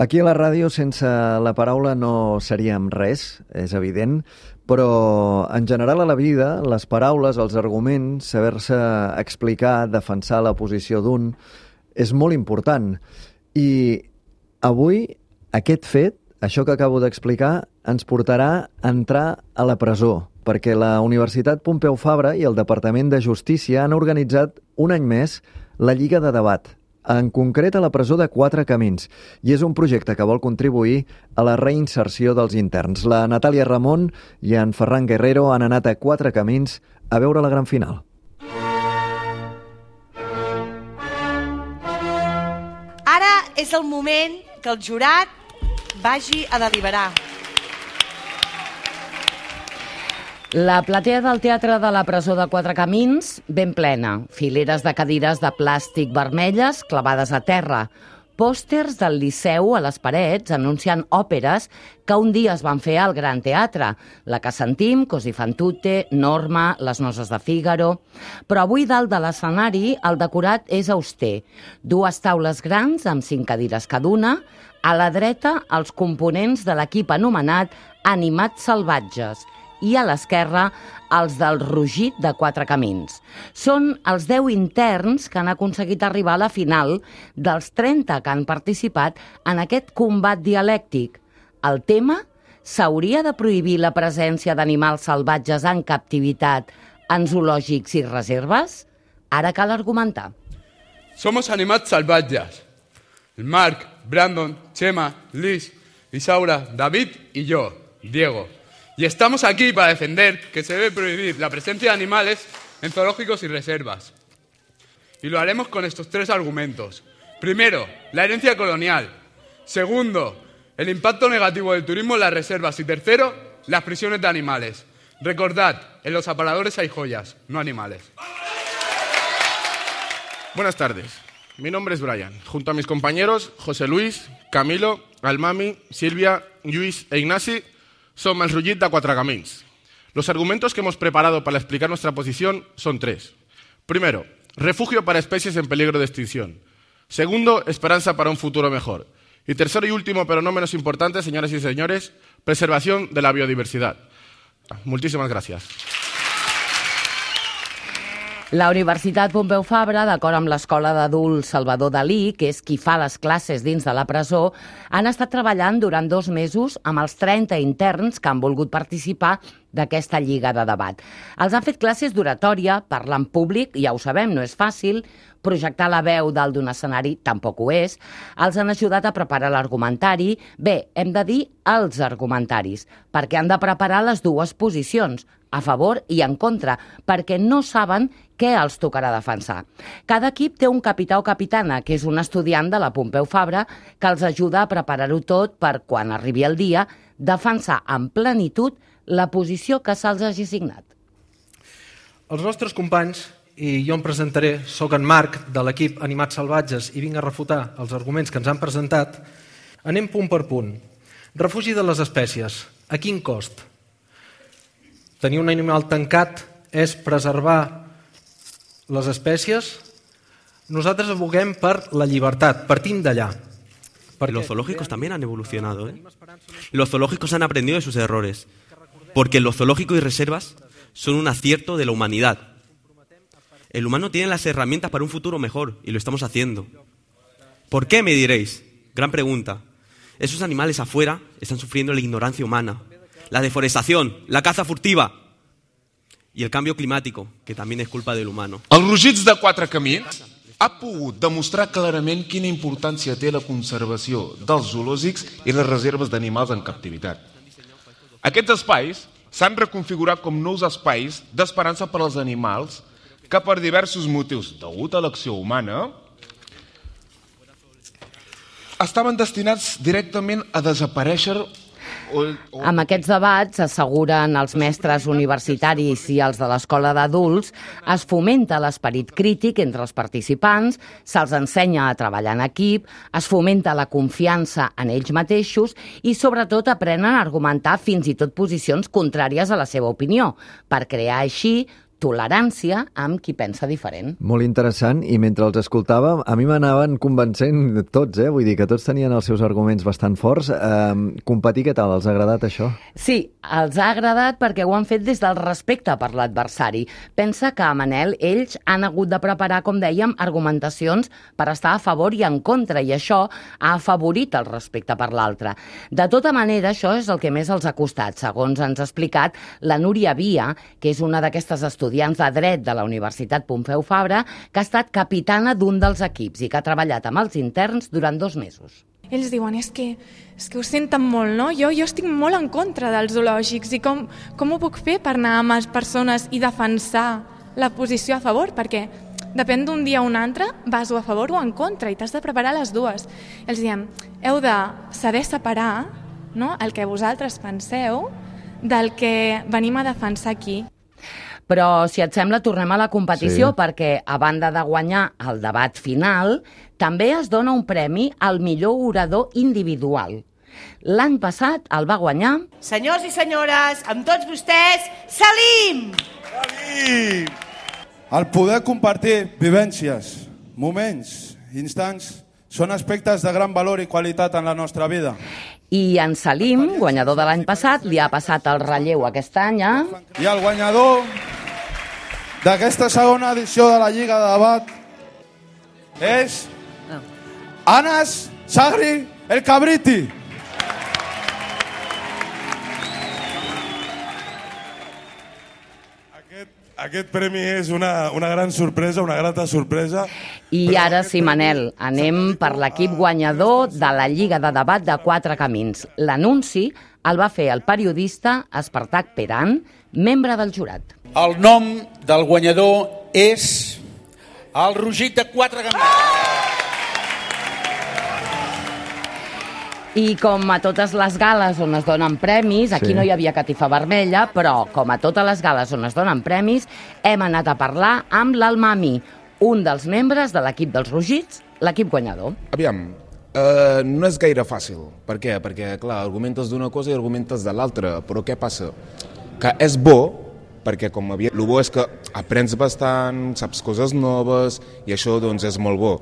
Aquí a la ràdio sense la paraula no seríem res, és evident, però en general a la vida les paraules, els arguments, saber-se explicar, defensar la posició d'un, és molt important. I avui aquest fet, això que acabo d'explicar, ens portarà a entrar a la presó, perquè la Universitat Pompeu Fabra i el Departament de Justícia han organitzat un any més la Lliga de Debat, en concret a la presó de Quatre Camins, i és un projecte que vol contribuir a la reinserció dels interns. La Natàlia Ramon i en Ferran Guerrero han anat a Quatre Camins a veure la gran final. Ara és el moment que el jurat vagi a deliberar. La platea del Teatre de la Presó de Quatre Camins, ben plena. Fileres de cadires de plàstic vermelles clavades a terra. Pòsters del Liceu a les parets anunciant òperes que un dia es van fer al Gran Teatre. La que sentim, Così fan tutte, Norma, Les noces de Fígaro. Però avui dalt de l'escenari el decorat és auster. Dues taules grans amb 5 cadires cada una. A la dreta els components de l'equip anomenat Animats Salvatges. I a l'esquerra els del Rugit de Quatre Camins. Són els 10 interns que han aconseguit arribar a la final dels 30 que han participat en aquest combat dialèctic. El tema: s'hauria de prohibir la presència d'animals salvatges en captivitat en zoològics i reserves? Ara cal argumentar. Somos animats salvatges. El Marc, Brandon, Chema, Liz, Isaura, David y yo, Diego. Y estamos aquí para defender que se debe prohibir la presencia de animales en zoológicos y reservas. Y lo haremos con estos 3 argumentos. Primero, la herencia colonial. Segundo, el impacto negativo del turismo en las reservas. Y tercero, las prisiones de animales. Recordad, en los aparadores hay joyas, no animales. Buenas tardes. Mi nombre es Brian. Junto a mis compañeros José Luis, Camilo, Almami, Silvia, Lluís e Ignasi, som el Rugit de Quatre Camins. Los argumentos que hemos preparado para explicar nuestra posición son 3. Primero, refugio para especies en peligro de extinción. Segundo, esperanza para un futuro mejor. Y tercero y último, pero no menos importante, señoras y señores, preservación de la biodiversidad. Muchísimas gracias. La Universitat Pompeu Fabra, d'acord amb l'Escola d'Adults Salvador Dalí, que és qui fa les classes dins de la presó, han estat treballant durant 2 mesos amb els 30 interns que han volgut participar d'aquesta lliga de debat. Els han fet classes d'oratòria, parlar en públic, ja ho sabem, no és fàcil, projectar la veu dalt d'un escenari tampoc ho és, els han ajudat a preparar l'argumentari, bé, hem de dir els argumentaris, perquè han de preparar les 2 posicions, a favor i en contra, perquè no saben què els tocarà defensar. Cada equip té un capità o capitana, que és un estudiant de la Pompeu Fabra, que els ajuda a preparar-ho tot per, quan arribi el dia, defensar en plenitud la posició que se'ls hagi assignat. Els nostres companys, i jo em presentaré, soc en Marc, de l'equip Animats Salvatges, i vinc a refutar els arguments que ens han presentat. Anem punt per punt. Refugi de les espècies. A quin cost? Tenir un animal tancat és preservar les espècies? Nosaltres aboguem per la llibertat, partim d'allà. Los zoológicos también han evolucionado, ¿eh? Los zoológicos han aprendido de sus errores, porque los zoológicos y reservas son un acierto de la humanidad. El humano tiene las herramientas para un futuro mejor, y lo estamos haciendo. ¿Por qué, me diréis? Gran pregunta. Esos animales afuera están sufriendo la ignorancia humana, la deforestación, la caza furtiva y el cambio climático, que también es culpa del humano. El Rugits de Quatre Camins ha pogut demostrar clarament quina importància té la conservació dels zoològics i les reserves d'animals en captivitat. Aquests espais s'han reconfigurat com nous espais d'esperança per als animals que per diversos motius, degut a l'acció humana, estaven destinats directament a desaparèixer. Amb aquests debats, asseguren els mestres universitaris i els de l'escola d'adults, es fomenta l'esperit crític entre els participants, se'ls ensenya a treballar en equip, es fomenta la confiança en ells mateixos i, sobretot, aprenen a argumentar fins i tot posicions contràries a la seva opinió, per crear així tolerància amb qui pensa diferent. Molt interessant, i mentre els escoltàvem, a mi m'anaven convencent tots, vull dir que tots tenien els seus arguments bastant forts. Competir, què tal? Els ha agradat això? Sí, els ha agradat perquè ho han fet des del respecte per l'adversari. Pensa que, Manel, ells han hagut de preparar, com dèiem, argumentacions per estar a favor i en contra, i això ha afavorit el respecte per l'altre. De tota manera, això és el que més els ha costat, segons ens ha explicat la Núria Via, que és una d'aquestes estudiants de dret de la Universitat Pompeu Fabra, que ha estat capitana d'un dels equips i que ha treballat amb els interns durant 2 mesos. Ells diuen, és que ho senten molt, no? Jo estic molt en contra dels zoològics i com ho puc fer per anar amb les persones i defensar la posició a favor? Perquè depèn d'un dia o un altre, vas o a favor o en contra i t'has de preparar les dues. Els diem, heu de saber separar, no?, el que vosaltres penseu del que venim a defensar aquí. Però, si et sembla, tornem a la competició, Sí. perquè, a banda de guanyar el debat final, també es dona un premi al millor orador individual. L'any passat el va guanyar... Senyors i senyores, amb tots vostès, Salim! El poder compartir vivències, moments, instants, són aspectes de gran valor i qualitat en la nostra vida. I en Salim, guanyador de l'any passat, li ha passat el relleu aquest any a... I el guanyador d'aquesta segona edició de la Lliga de Debat és Anas Sagri El Cabriti. Aquest premi és una gran sorpresa, una grata sorpresa. I ara sí, Manel, anem per l'equip guanyador de la Lliga de Debat de 4 Camins. L'anunci el va fer el periodista Espartac Peran, membre del jurat. El nom del guanyador és el Rugit de 4 Camins. I com a totes les gales on es donen premis, aquí no hi havia catifa vermella, però com a totes les gales on es donen premis, hem anat a parlar amb l'Almami, un dels membres de l'equip dels Rugits, l'equip guanyador. Aviam, no és gaire fàcil. Per què? Perquè, clar, argumentes d'una cosa i argumentes de l'altra. Però què passa? Que és bo, perquè com el bo és que aprens bastant, saps coses noves, i això doncs és molt bo.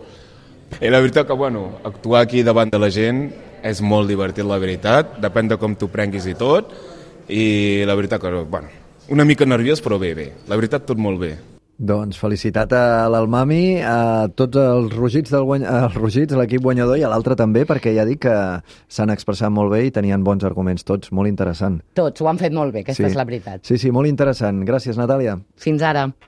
I la veritat que, bueno, actuar aquí davant de la gent és molt divertit, la veritat. Depèn de com t'ho prenguis i tot. I la veritat que, bueno, una mica nerviós, però bé. La veritat, tot molt bé. Doncs felicitat a l'Almami, a tots els Rugits, l'equip guanyador, i a l'altre també, perquè ja dic que s'han expressat molt bé i tenien bons arguments tots, molt interessant. Tots ho han fet molt bé, aquesta és la veritat. Sí, molt interessant. Gràcies, Natàlia. Fins ara.